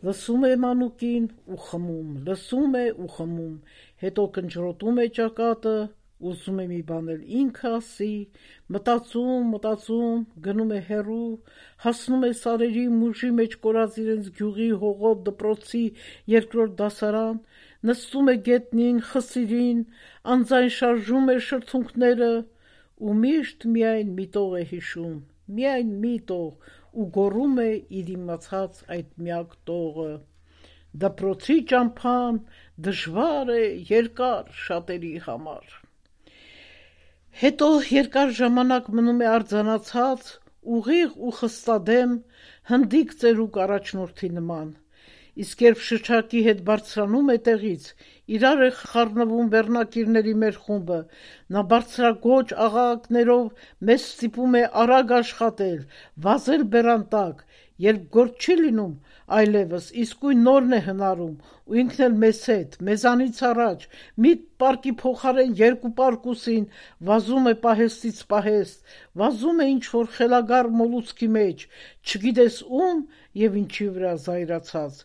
Լսում է Մանուկին ու խմում, լսում է ու խմում, հետո կնճռոտում է ճակատը, ուզում է մի բան էլ ինքը ասի, մտածում, գնում է հեռու, հասնում է սարերի մուժի մեջ կորած իրենց գյուղի հողոտ դպրոցի երկրորդ դասարան, նստում է գետնին, խսիրին, անձայն շարժում է շրթունքները ու միշտ միայն մի տող է հիշում, միայն մի տող, ու գոռում է իր իմացած այդ միակ տողը. «Դպրոցի ճամփան դժվար է, երկար շատերի համար»։ Հետո երկար ժամանակ մնում է արձանացած, ուղիղ ու խստադեմ, հնդիկ ծերուկ առաջնորդի նման, իսկ երբ շչակի հետ բարձրանում է տեղից, իրար է խառնվում բեռնակիրների մեր խումբը, նա բարձրաձոչ աղաղակներով մեզ ստիպում է արագ աշխատել, վազել բերան տակ, երբ գործ չի լինում այլևս, իսկույն նորն է հնարում, ու ինքն էլ մեզ հետ, մեզանից առաջ, մի պարկի փոխարեն երկու պարկուսին, վազում է պահեստից պահեստ, վազում է ինչ-որ խելագար մոլուցքի մեջ, չգիտես ում եւ ինչի վրա զայրացած,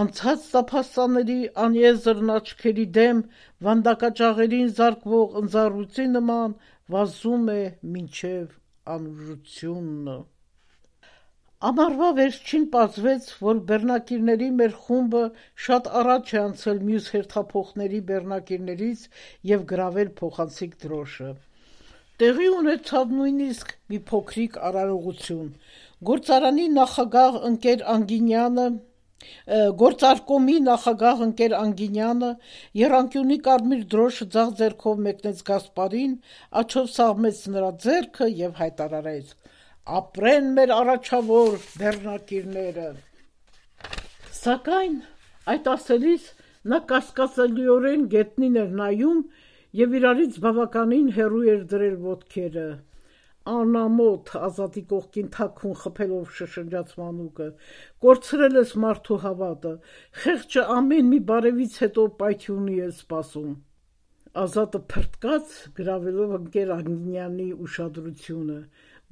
անցած տափաստանների անեզրն աչքերի դեմ վանդակաճաղերին զարկվող ընձառյուծի նման վազում է մինչև անուժությունը։ Ամառվա վերջին պարզվեց, որ բեռնակիրների մեր խումբը շատ առաջ է անցել մյուս հերթափոխների բեռնակիրներից եւ գրավել փոխանցիկ դրոշը։ Տեղի ունեցավ նույնիսկ մի փոքրիկ արարողություն։ Գործարկոմի նախագահ ընկեր Անգինյանը եռանկյունի կարմիր դրոշը ձախ ձեռքով մեկնեց Գասպարին, աջով սաղմեց նրա ձեռքը եւ հայտարարեց. «Ապրեն մեր առաջավոր բեռնակիրները»։ Սակայն այդ ասելիս նա կասկածելիորեն գետնին էր նայում եւ իրարից բավականին հեռու էր դրել ոտքերը։ «Անամոթ», Ազատի կողքին թաքուն խփելով շշնջաց Մանուկը, «կորցրել ես մարդու հավատը, խեղճը ամեն մի բարևից հետո պայթյունի է սպասում»։ Ազատը փրտկաց գրավելով ընկեր Անգլինյանի ուշադրությունը,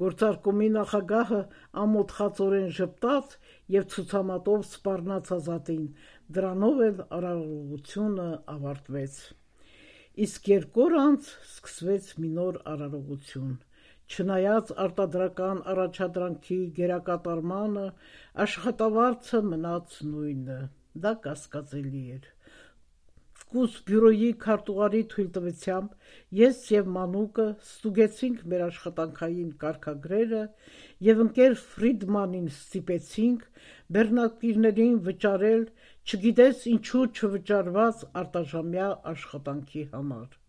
գործարկումի նախագահը ամոթխածորեն ժպտաց և ցուցամատով սպառնաց Ազատին, դրանով էլ արարողությունը ավարտվեց։ Իսկ 2 օր անց սկսվեց մի նոր արարողություն։ Չնայած արտադրական առաջադրանքի գերակատարմանը, աշխատավարձը մնաց նույնը, դա կասկածելի էր։ Զգուս բյուրոյի քարտուղարի թույլտվությամբ ես և Մանուկը ստուգեցինք մեր աշխատանքային կարգագրերը և ընկեր Ֆրիդմանին ստիպեցինք բեռնակիրներին վճարել չգիտես ինչու չվճարված արտաժամյա աշխատանքի համար։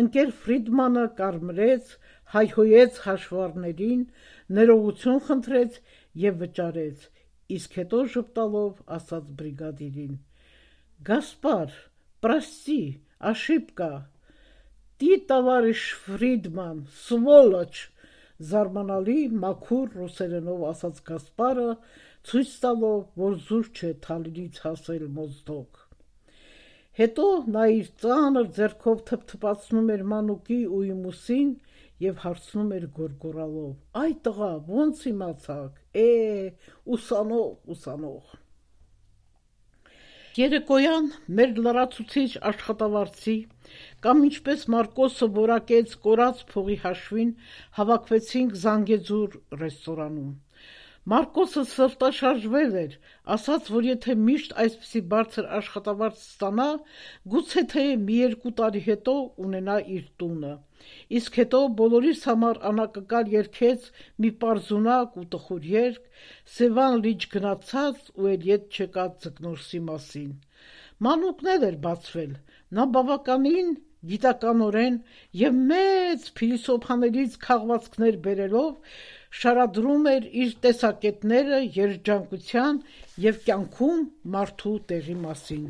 Ընկեր Ֆրիդմանը կարմրեց, հայհոյեց հաշվառներին, ներողություն խնդրեց և վճարեց, իսկ հետո ժպտալով ասաց բրիգադիրին. «Գասպար, պրաստի, աշիպկա, տի տավարիշ Ֆրիդման, սվոլոչ», զարմանալի մաքուր ռուսերենով ասաց Գասպարը, ցույց տալով, որ զուր չէ Թալինից հասել Մոզդոկ։ Հետո նա իր ծանր ձեռքով թփթփացնում էր Մանուկի ու իմ ուսին և հարցնում էր գոռգոռալով. «Այ տղա, ո՞նց իմացաք, ուսանող»։ Երեկոյան մեր լրացուցիչ աշխատավարձի կամ ինչպես Մարկոսը որակեց կորած փողի հաշվին հավաքվեցինք Զանգեզուր ռեստորանում։ Մարկոսը սրտաշարժվել էր, ասաց, որ եթե միշտ այսպիսի բարձր աշխատավարձ ստանա, գուցե թե 1-2 տարի հետո ունենա իր տունը, իսկ հետո բոլորիս համար անակնկալ երգեց մի պարզունակ ու տխուր երգ, Սևան լիճ գնացած ու էլ ետ չեկած ձկնորսի մասին։ Մանուկն էլ էր բացվել, նա բավականին գիտականորեն և մեծ փիլիսոփաներից քաղվածքներ բերելով շարադրում էր իր տեսակետները երջանկության և կյանքում մարդու տեղի մասին։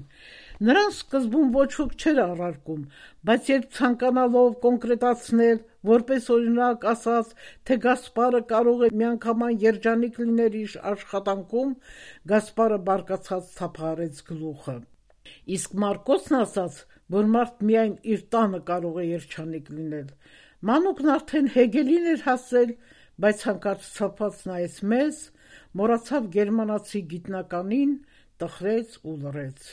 Նրան սկզբում ոչ ոք չէր առարկում, բայց երբ ցանկանալով կոնկրետացնել, որպես օրինակ ասաց, թե Գասպարը կարող է միանգամայն երջանիկ լինել իր աշխատանքում, Գասպարը բարկացած թափահարեց գլուխը։ Իսկ Մարկոսն ասաց, որ մարդ միայն իր տանը կարող է երջանիկ լինել։ Մանուկն արդեն Հեգելին էր հասել, բայց հանկարծ ցավված նայեց մեզ, մոռացավ գերմանացի գիտնականին, տխրեց ու լռեց։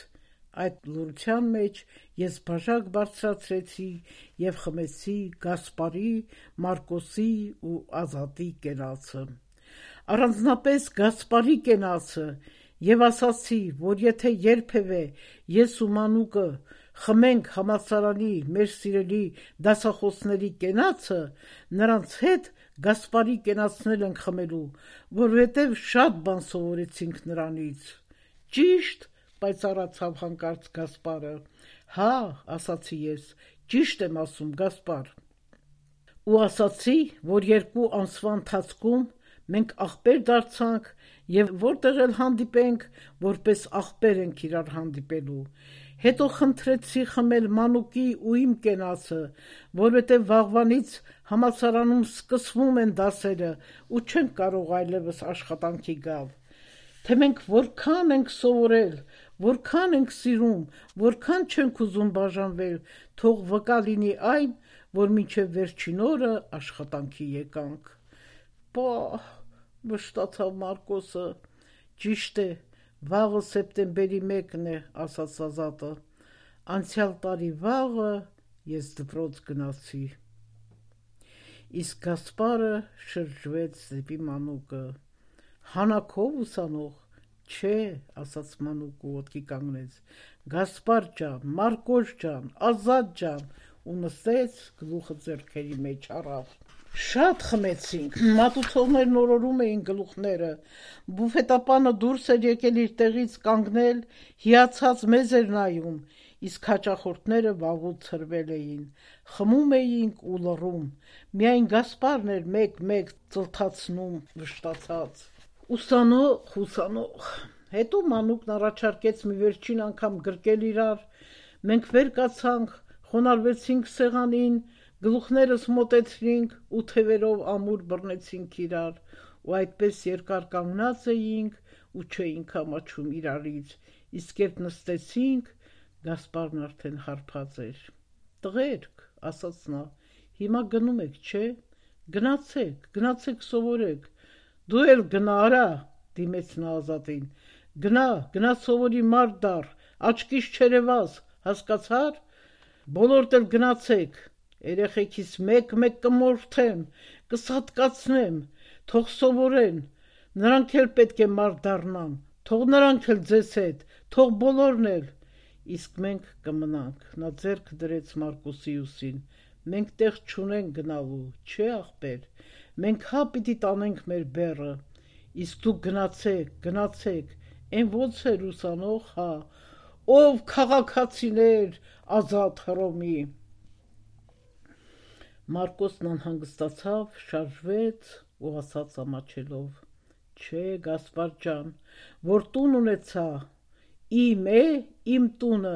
Այդ լռության մեջ ես բաժակ բարձրացրեցի և խմեցի Գասպարի, Մարկոսի ու Ազատի կենացը, առանձնապես Գասպարի կենացը, և ասացի, որ եթե երբևէ ես ու Մանուկը խմենք համալսարանի մեր սիրելի դասախոսների կենացը, նրանց հետ Գասպարի կենացն էլ ենք խմելու, որովհետև շատ բան սովորեցինք նրանից։ Ճիշտ, պայծառացավ հանկարծ Գասպարը։ Հա, ասացի ես, ճիշտ եմ ասում, Գասպար։ Ու ասացի, որ 2 ամսվա ընթացքում մենք ախպեր դարձանք և որտեղ էլ հանդիպենք, որպես ախպեր ենք իրար հանդիպելու։ Հետո խնդրեցի խմել Մանուկի ու իմ կենացը, որովհետև վաղվանից համալսարանում սկսվում են դասերը ու չենք կարող այլևս աշխատանքի գալ։ Թե մենք որքան ենք սովորել, որքան ենք սիրում, որքան չենք ուզում բաժանվել, թող վկա լինի այն, որ մինչև վերջին օրը աշխատանքի եկանք։ Պահ, վշտացավ Մարկոսը։ Ճիշտ է, վաղը սեպտեմբերի 1-ն է, ասաց Ազատը։ Անցյալ տարի վաղը ես դպրոց գնացի։ Իսկ Գասպարը շրջվեց դեպի Մանուկը։ Հանաքով ուսանող։ Չէ, ասաց Մանուկը ոտքի կանգնեց։ Գասպար ջան, Մարկոս ջան, Ազատ ջան, ու նստեց, գլուխը ձեռքերի մեջ առավ։ Շատ խմեցինք, մատուցողներն օրորում էին գլուխները, բուֆետապանը դուրս էր եկել իր տեղից կանգնել, հիացած մեզ էր նայում, իսկ հաճախորդները վաղուց ցրվել էին, խմում էինք ու լռում, միայն Գասպարն էր մեկ-մեկ ծլթացնում վշտացած։ Ուսանող։ Հետո Մանուկն առաջարկեց մի վերջին անգամ գրկել իրար, մենք վեր կացանք, խոնարհվեցինք սեղանին, գլուխներս մոտեցրինք ու թևերով ամուր բռնեցինք իրար, ու այդպես երկար կանգնած էինք ու չէինք ամաչում իրարից, իսկ երբ նստեցինք, Գասպարն արդեն հարբած էր։ տղերք, ասաց նա, հիմա գնում եք, չէ, գնացեք սովորեք, դու էլ գնա արա, դիմեց նա Ազատին, գնա սովորի մարդ դառ, աչքիս չերևաս, հասկացար, բոլորդ էլ գնացեք, երեխեքիս մեկ կմորթեմ, կսատկացնեմ, թող սովորեն, նրանք էլ պետք է մարդ դառնան, թող նրանք էլ ձեզ հետ, թող բոլորն էլ, իսկ մենք կմնանք, նա ձեռքը դրեց Մարկոսի ուսին, մենք տեղ չունենք գնալու, չէ ախպեր, մենք հա պիտի տանենք մեր բեռը, իսկ դուք գնացեք, են ոնց էր ուսանող, հա, ով քաղաքացիներ, Ազատ Հռոմի։ Մարկոսն անհանգստացավ, շարժվեց ու ասաց ամաչելով. Չէ, Գասպար ջան, որ տուն ունեցա, իմ է, իմ տունը,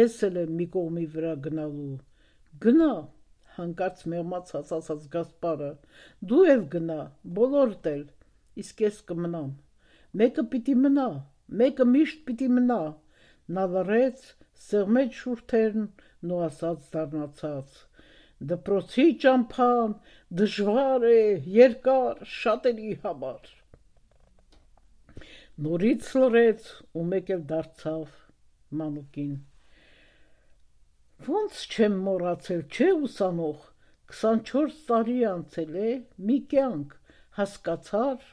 ես էլ եմ մի կողմի վրա գնալու։ Գնա, հանկարծ մեղմացած ասաց Գասպարը, դու էլ գնա, բոլորդ էլ, իսկ ես կմնամ։ Մեկը պիտի մնա, մեկը միշտ պիտի մնա։ Նա լռեց, սեղմեց շուրթերն ու ասաց դառնացած. Դպրոցի ճամփան դժվար է, երկար, շատերի համար։ Նորից լռեց ու մեկ էլ դարձավ մանուկին. Ոնց չեմ մոռացել, չէ ուսանող, 24 տարի անցել է, մի կյանք, հասկացար,